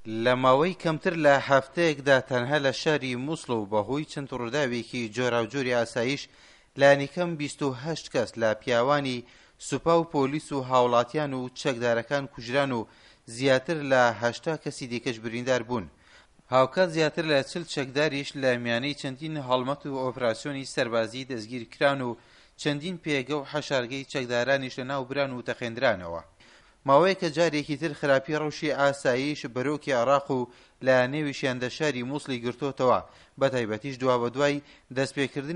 لە ماوەی کەمتر لە هەفتەیەکدا تەنها لە شاری موسڵ و بەهۆی چەند ڕووداوێکی جۆراوجۆری ئاسایش لانیکەم 28 کەس لە پیاوانی سوپا و پۆلیس و هاوڵاتیان و چەکدارەکان کوژران و زیاتر لە 80 کەسی دیکەش بریندار بوون. هاوکات زیاتر لە 40 چەکداریش لە میانەی چەندین هەڵمەت و ئۆپراسیۆنی سەربازی دەستگیر کران و چەندین پێگە و حەشارگەی چەکدارانیش لەناوبران و تەقێندرانەوە. ماوەیەکە جارێکی تر خراپی ڕەوشی ئاسایش بەرۆکی عێراق و لە نێویشیاندا شاری موسڵی گرتۆتەوە، بەتایبەتیش دوابەدوای دەستپێکردنی.